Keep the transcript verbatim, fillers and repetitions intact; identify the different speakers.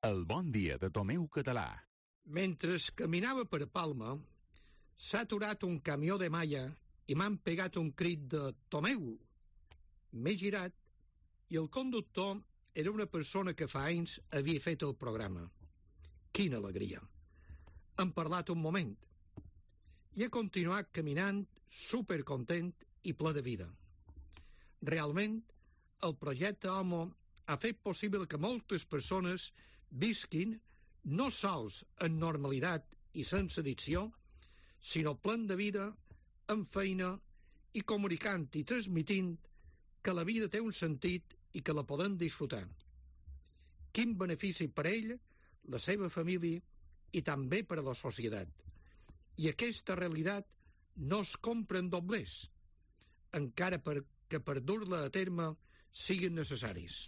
Speaker 1: El bon dia de Tomeu Català.
Speaker 2: Mentre caminava per Palma, s'ha aturat un camió de malla i m'han pegat un crit de «Tomeu!». M'he girat i el conductor era una persona que fa anys havia fet el programa. Quina alegria! Hem parlat un moment i he continuat caminant supercontent i ple de vida. Realment, el projecte Homo ha fet possible que moltes persones visquin no sols en normalitat i sense addicció, sinó plen de vida, amb feina i comunicant i transmitint que la vida té un sentit i que la podem disfrutar. Quin benefici per ell, la seva família i també per a la societat. I aquesta realitat no es compra en doblers, encara per, que per dur-la a terme siguin necessaris.